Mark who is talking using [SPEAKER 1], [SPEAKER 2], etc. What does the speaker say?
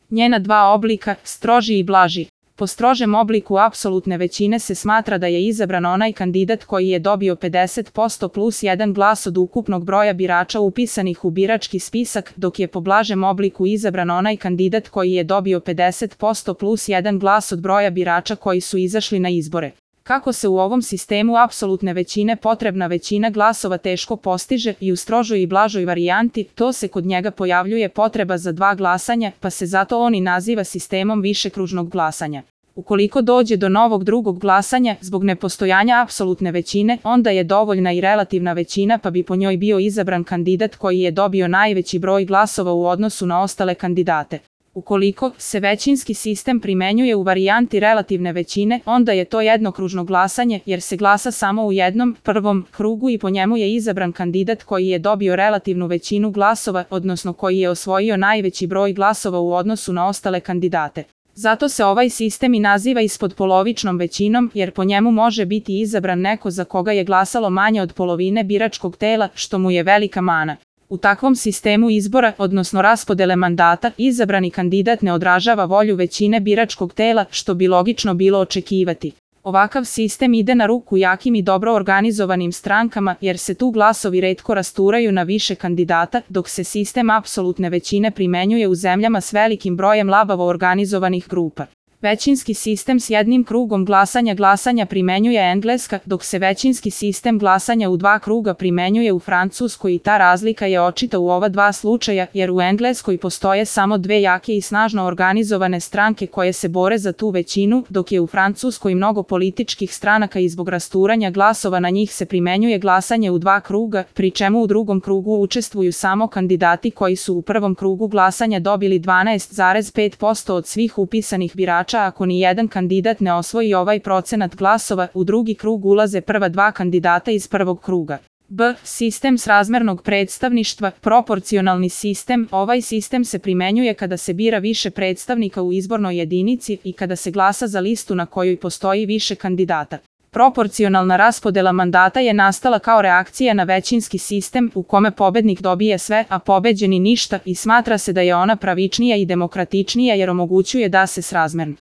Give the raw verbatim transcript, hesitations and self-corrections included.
[SPEAKER 1] Njena dva oblika, stroži i blaži. Po strožem obliku apsolutne većine se smatra da je izabran onaj kandidat koji je dobio pedeset posto plus jedan glas od ukupnog broja birača upisanih u birački spisak, dok je po blažem obliku izabran onaj kandidat koji je dobio pedeset posto plus jedan glas od broja birača koji su izašli na izbore. Kako se u ovom sistemu apsolutne većine potrebna većina glasova teško postiže i u strožoj i blažoj varijanti, to se kod njega pojavljuje potreba za dva glasanja, pa se zato on i naziva sistemom višekružnog glasanja. Ukoliko dođe do novog drugog glasanja, zbog nepostojanja apsolutne većine, onda je dovoljna i relativna većina pa bi po njoj bio izabran kandidat koji je dobio najveći broj glasova u odnosu na ostale kandidate. Ukoliko se većinski sistem primenjuje u varijanti relativne većine, onda je to jednokružno glasanje jer se glasa samo u jednom, prvom krugu i po njemu je izabran kandidat koji je dobio relativnu većinu glasova, odnosno koji je osvojio najveći broj glasova u odnosu na ostale kandidate. Zato se ovaj sistem i naziva ispodpolovičnom većinom jer po njemu može biti izabran neko za koga je glasalo manje od polovine biračkog tela, što mu je velika mana. U takvom sistemu izbora, odnosno raspodele mandata, izabrani kandidat ne odražava volju većine biračkog tela, što bi logično bilo očekivati. Ovakav sistem ide na ruku jakim i dobro organizovanim strankama jer se tu glasovi retko rasturaju na više kandidata, dok se sistem apsolutne većine primenjuje u zemljama s velikim brojem labavo organizovanih grupa. Većinski sistem s jednim krugom glasanja glasanja primenjuje Engleska, dok se većinski sistem glasanja u dva kruga primenjuje u Francuskoj i ta razlika je očita u ova dva slučaja jer u Engleskoj postoje samo dve jake i snažno organizovane stranke koje se bore za tu većinu, dok je u Francuskoj mnogo političkih stranaka i zbog rasturanja glasova na njih se primenjuje glasanje u dva kruga, pri čemu u drugom krugu učestvuju samo kandidati koji su u prvom krugu glasanja dobili dvanaest zarez pet posto od svih upisanih birača. Ako ni jedan kandidat ne osvoji ovaj procenat glasova, u drugi krug ulaze prva dva kandidata iz prvog kruga. B. Sistem srazmernog predstavništva, proporcionalni sistem. Ovaj sistem se primenjuje kada se bira više predstavnika u izbornoj jedinici i kada se glasa za listu na kojoj postoji više kandidata. Proporcionalna raspodela mandata je nastala kao reakcija na većinski sistem u kome pobednik dobije sve, a pobeđeni ništa i smatra se da je ona pravičnija i demokratičnija jer omogućuje da se srazmerno